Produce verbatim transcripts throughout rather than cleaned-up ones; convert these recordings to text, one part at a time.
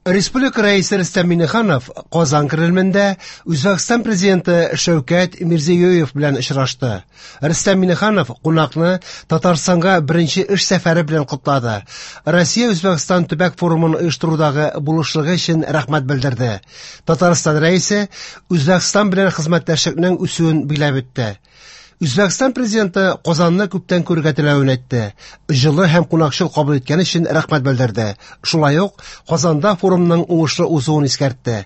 Республика Рәисе Рөстәм Миңнеханов Казан Кремлендә Үзбәкстан президенты Шәүкәт Мирзиёев белән очрашты. Рөстәм Миңнеханов кунакны Татарстанга беренче эш сәфәре белән котлады. Россия Үзбәкстан төбәк форумын оештырудагы булышлыгы өчен рәхмәт белдерде. Татарстан Рәисе Үзбәкстан белән хезмәттәшлекнең үсүен билгеләп үтте. Үзбәкстан президенты Казанны күптән күрергә теләвен әйтте. Җылы һәм кунакчыл кабул иткән өчен рәхмәт белдерде. Шулай ук Казанда форумның уңышлы узуын искәртте.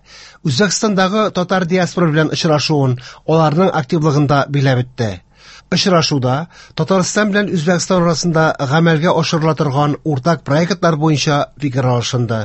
Үзбәкстандагы татар диаспора белән очрашуын, аларның активлыгын да билгеләп үтте. Очрашуда Татарстан белән Үзбәкстан арасында гамәлгә ашырыла торган уртак проектлар буенча фикер алышынды.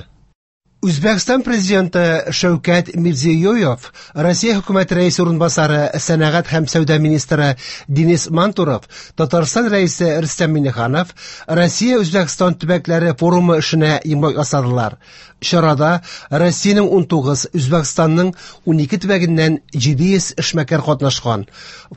Үзбәкстан президенты Шәүкәт Мирзиёев, Россия хөкүмәте рәисе урынбасары, сәнәгать һәм сәүдә министры Денис Мантуров, Татарстан рәисе Рөстәм Миңнеханов Россия Үзбәкстан төбәкләре форумы эшенә йомгак ясадылар. Чарада Россиянең унтугыз, Үзбәкстанның унике төбәгеннән җиде йөз эшмәкәр катнашкан.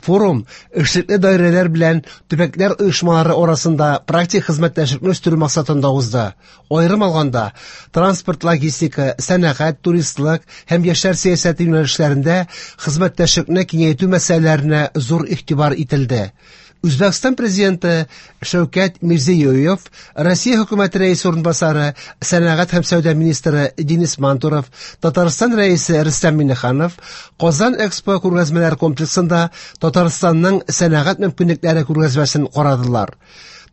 Форум эшлекле даирәләр белән төбәкләр оешмалары арасында практик хезмәттәшлекне үстерү максатында узды. Аерым алганда, транспорт, логистика, сәнәгать, туристлык һәм яшьләр сәясәте юнәлешләрендә хезмәттәшлекне киңәйтү мәсьәләләренә зур игътибар ителде. Үзбәкстан президенты Шәүкәт Мирзиёев, Россия хөкүмәте рәисе урынбасары, сәнәгать һәм сәүдә министры Денис Мантуров, Татарстан рәисе Рөстәм Миңнеханов Казан Экспо күргәзмәләр комплексында Татарстанның сәнәгать мөмкинлекләре күргәзмәсен карадылар.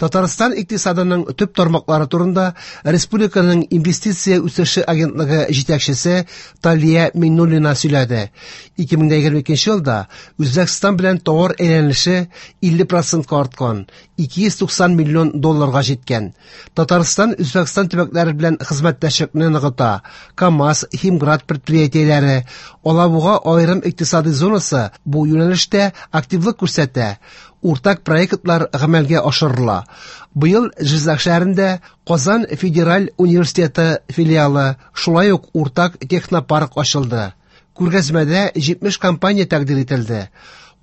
Татарстан икътисадының төп тармаклары турында республиканың инвестиция үсеше агентлыгы җитәкчесе Талия Миңнуллина сөйләде. ике мең егерме икенче елда Үзбәкстан белән товар әйләнеше илле процентка арткан, ике йөз туксан миллион долларга җиткән. Татарстан Үзбәкстан төбәкләре белән хезмәттәшлекне ныгыта. КАМАЗ, Химград предприятиеләре, Алабуга аерым икътисади зонасы бу юнәлештә активлык күрсәтә. Уртак проектлар гамәлгә ашырыла. Быел Җизак шәһәрендә Казан федераль университеты филиалы, шулай ук уртак технопарк ачылды. Күргәзмәдә җитмеш компания тәкъдир ителде.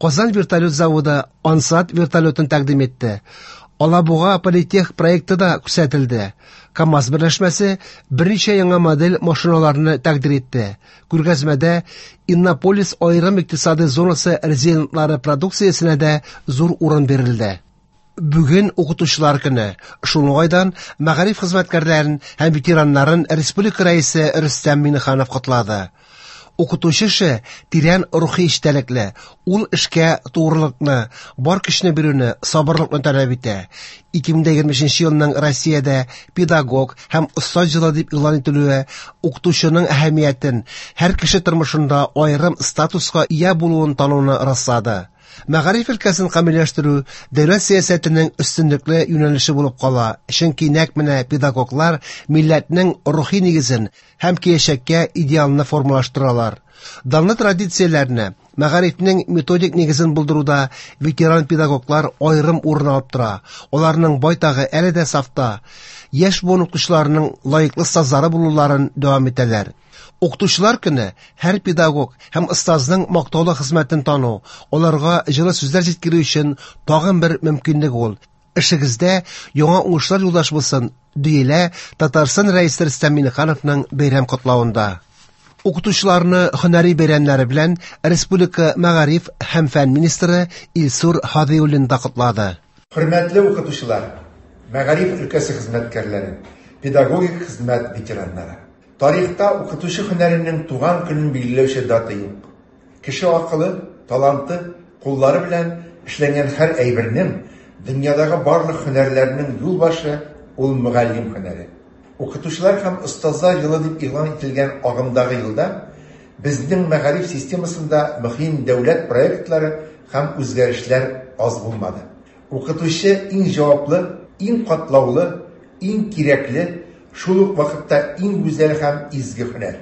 Казан вертолет заводы Ансат вертолетын тәкъдим итте. Алабуга политех проекты да күрсәтелде. КАМАЗ берләшмәсе берничә яңа модель машиналарны тәкъдир итте. Күргәзмәдә Иннополис аерым икътисади зонасы резидентлары продукциясенә дә зур урын бирелде. Бүген укытучылар көне. Шул уңайдан мәгариф хезмәткәрләрен һәм ветераннарын республика рәисе Рөстәм Миңнеханов котлады. Укытучы эше тирән рухи эчтәлекле, ул эшкә тугрылыкны, бар көчне бирүне, сабырлыкны таләп итә. ике мең егерме өченче елның Россиядә педагог һәм остаз елы дип игълан ителүе укытучының әһәмиятен, һәр кеше тормышында аерым статуска ия булуын тануны раслады. Мәгариф өлкәсен камилләштерү дәүләт сәясәтенең өстенлекле юнәлеше булып кала, чөнки нәкъ менә педагоглар милләтнең рухи нигезен һәм киләчәккә идеалны формалаштыралар. Данлы традицияләрне, мәгарифнең методик нигезен булдыруда ветеран педагоглар аерым урын алып тора. Аларның байтагы әле дә сафта, яшь буын укытучыларының лаеклы остазлары булуларын дәвам итәләр. Укытучылар көне һәр педагог һәм остазның мактаулы хезмәтен тану, аларга җылы сүзләр җиткерү өчен тагын бер мөмкинлек ул. Эшегездә яңа уңышлар юлдаш булсын, диелә Татарстан Рәисе Рөстәм Миңнехановның бәйрәм котлавында. Укытучыларны һөнәри бәйрәмнәре белән Республика мәгариф һәм фән министры Илсур Һадиуллин да котлады. Хөрмәтле укытучылар, мәгариф өлкәсе хезмәткәрләре, педагогик хезмәт ветераннары. Тарихта укытучы һөнәренең туган көнен билгеләүче дата юк. Кеше акылы, таланты, куллары белән эшләнгән һәр әйбернең, дөньядагы барлык һөнәрләрнең юл башы ул мөгаллим һөнәре. Укытучылар һәм остазлар елы дип игълан ителгән агымдагы елда безнең мәгариф системасында мөһим дәүләт проектлары һәм үзгәрешләр аз булмады. Укытучы иң җаваплы, иң катлаулы, иң кирәкле, шул ук вакытта иң гүзәл һәм изге һөнәр.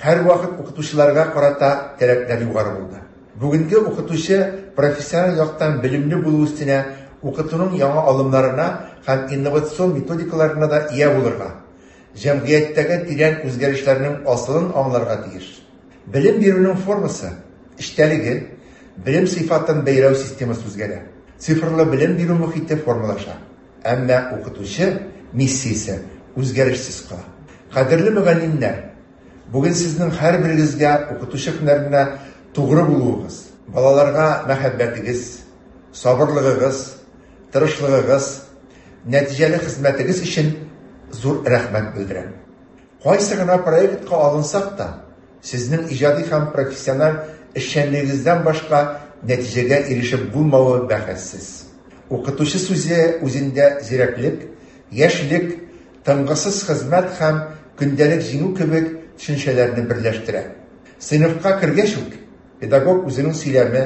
Һәр вакыт укытучыларга карата таләпләр югары булды. Бүгенге укытучы профессиональ яктан белемле булу өстенә укытуның яңа алымнарына һәм инновацион методикаларына да ия булырга, җәмгыятьтәге тирән үзгәрешләрнең асылын аңларга тиеш. Белем бирүнең формасы, эчтәлеге, белем сыйфатын бәяләү системасы үзгәрә. Цифрлы белем бирү мохите формалаша. Әмма укытучы миссиясе үзгәрешсез кала. Кадерле мөгаллимнәр, бүген сезнең һәрберегезгә укытучы һөнәренә тугры булуыгыз, балаларга мәхәббәтегез, сабырлыгыгыз, тырышлыгыгыз, нәтиҗәле хезмәтегез өчен зур рәхмәт белдерәм. Кайсы гына проектка алынсак та, сезнең иҗади һәм профессиональ эшчәнлегегездән башка нәтиҗәгә ирешеп булмавы бәхәссез. Укытучы сүзе үзендә зирәклек, яшьлек, тынгысыз хезмәт һәм көндәлек җиңү кебек төшенчәләрне берләштерә. Сыйныфка кергәч үк, педагог үзенең сөйләме,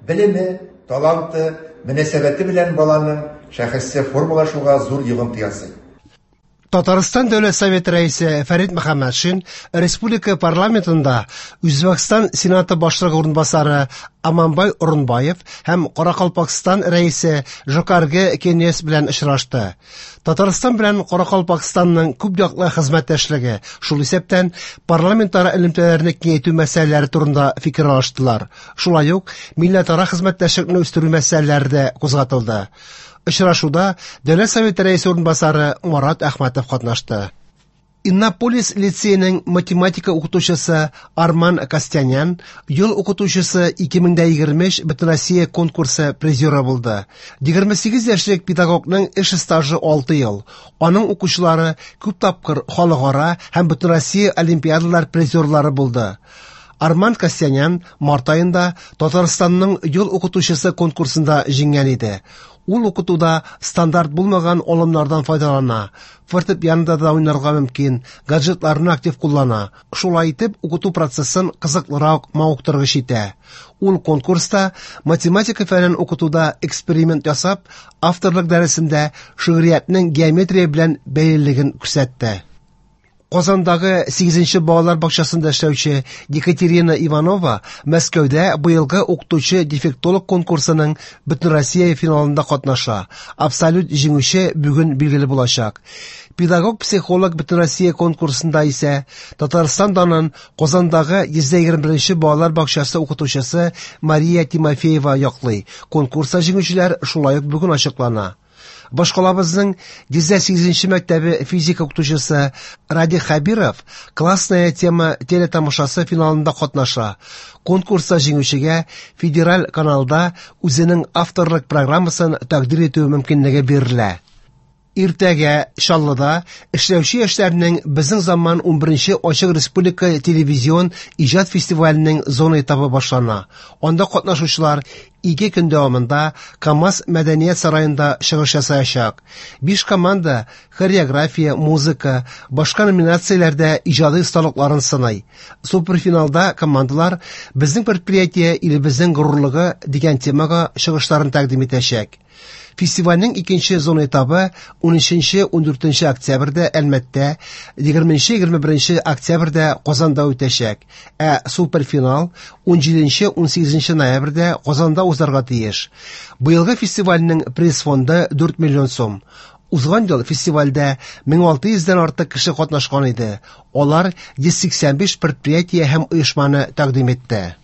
белеме, таланты, мөнәсәбәте белән баланың шәхесе формалашуга зур йогынты ясый. Татарстан Дәүләт Советы рәисе Фәрит Мөхәммәтшин республика парламентында Үзбәкстан Сенаты башлыгы урынбасары Аманбай Орынбаев һәм Каракалпакстан рәисе Жокаргы Кенес белән очрашты. Татарстан белән Каракалпакстанның күп яклы хезмәттәшлеге, шул исәптән парламентара элемтәләрне киңәйтү мәсьәләләре турында фикер алыштылар. Шулай ук милләтара хезмәттәшлекне үстерү мәсьәләләре дә кузгатылды. Очрашуда Дәүләт Советы рәисе урынбасары Марат Әхмәтов катнашты. Иннополис лицееның математика укытучысы Арман Костянян ел укытучысы ике мең дә егерме өч Бөтенроссия конкурсы призеры булды. Егерме сигез яшьлек педагогның эш стажы алты ел. Аның укучылары күп тапкыр халыкара һәм Бөтенроссия олимпиадалар призерлары булды. Арман Костянян март аенда Татарстанның ел укытучысы конкурсында җиңгән иде. Ул укытуда стандарт булмаган алымнардан файдалана, фортепианода да уйнарга мөмкин, гаджетларны актив куллана. Шулай итеп, укыту процессын кызыклырак, мавыктыргыч итә. Ул конкурста математика фәнен укытуда эксперимент ясап, авторлык дәресендә шигъриятнең геометрия белән бәйлелеген күрсәтте. Казандагы сигезенче балалар бакчасында эшләүче Екатерина Иванова Мәскәүдә быелгы укытучы дефектолог конкурсының Бөтенроссия финалында катнаша. Абсолют җиңүче бүген билгеле булачак. Педагог-психолог Бөтенроссия конкурсында исә Татарстан данын Казандагы йөз егерме беренче балалар бакчасы укытучысы Мария Тимофеева яклый. Конкурста җиңүчеләр шулай ук бүген ачыклана. Башкалабызның йөз сигезенче мәктәбе физика укытучысы Ради Хабиров «Классная тема» телетамашасы финалында катнаша. Конкурста җиңүчегә федераль каналда үзенең авторлык программасын тәкъдир итү мөмкинлеге бирелә. Иртәгә Чаллыда эшләүче яшьләрнең Безнең заман унберенче ачык республика телевизион иҗат фестиваленең зона этабы башлана. Анда катнашучылар ике көн дәвамында КАМАЗ мәдәният сараенда чыгыш ясаячак. Биш команда хореография, музыка, башка номинацияләрдә иҗади осталыкларын сыный. Суперфиналда командалар Безнең предприятие илебезнең горурлыгы дигән темага чыгышларын тәкъдим итәчәк. Фестивальнең икенче зона этабы унөченче, ундүртенче октябрьдә Әлмәттә, егерменче, егерме беренче октябрьдә Казанда үтәчәк. Ә суперфинал унҗиденче, унсигезенче ноябрьдә Казанда узарга тиеш. Быелгы фестивальнең приз фонды дүрт миллион сум. Узган ел фестивальдә мең алты йөздән артык кеше катнашкан иде. Алар йөз сиксән биш предприятие һәм оешманы тәкъдим итте.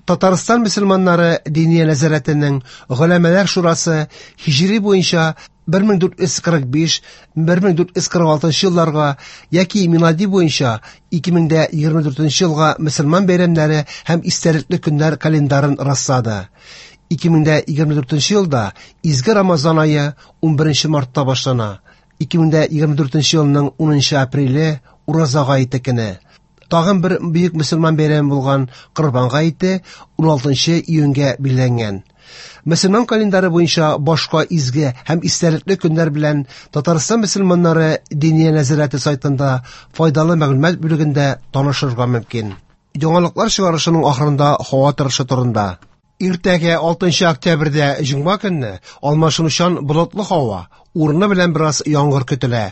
Татарстан мөселманнары Диния нәзарәтенең Голәмәләр шурасы һиҗри буенча бер мең дүрт йөз кырык биш, бер мең дүрт йөз кырык алтынчы елларга яки милади буенча ике мең дә егерме дүртенче елга мөселман бәйрәмнәре һәм истәлекле көннәр календарын раслады. Ике мең дә егерме дүртенче елда Изге Рамазан ае унберенче мартта башлана. Ике мең дә егерме дүртенче елның унынчы апреле Ураза гаете көне. Тагын бер бөек мөселман бәйрәме булган Корбан гаете уналтынчы июньгә билгеләнгән. Мөселман календары буенча башка изге һәм истәлекле көннәр белән Татарстан мөселманнары Диния нәзарәте сайтында файдалы мәгълүмат бүлегендә танышырга мөмкин. Яңалыклар чыгарышының ахырында һава торышы турында. Иртәгә алтынчы октябрьдә җомга көнне алмашынучан болытлы һава, урыны белән бераз яңгыр көтелә.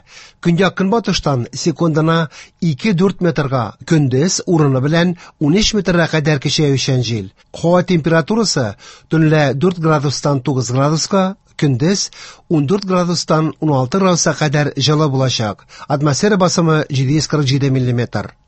Көньяк-көнбатыштан секундына ике-дүрт метрга, көндез урыны белән унөч метрга кадәр көчәючән җил. Һава температурасы төнлә дүрт градустан тугыз градуска, көндез ундүрт градустан уналты градуска кадәр җылы булачак. Атмосфера басымы җиде йөз кырык җиде миллиметр.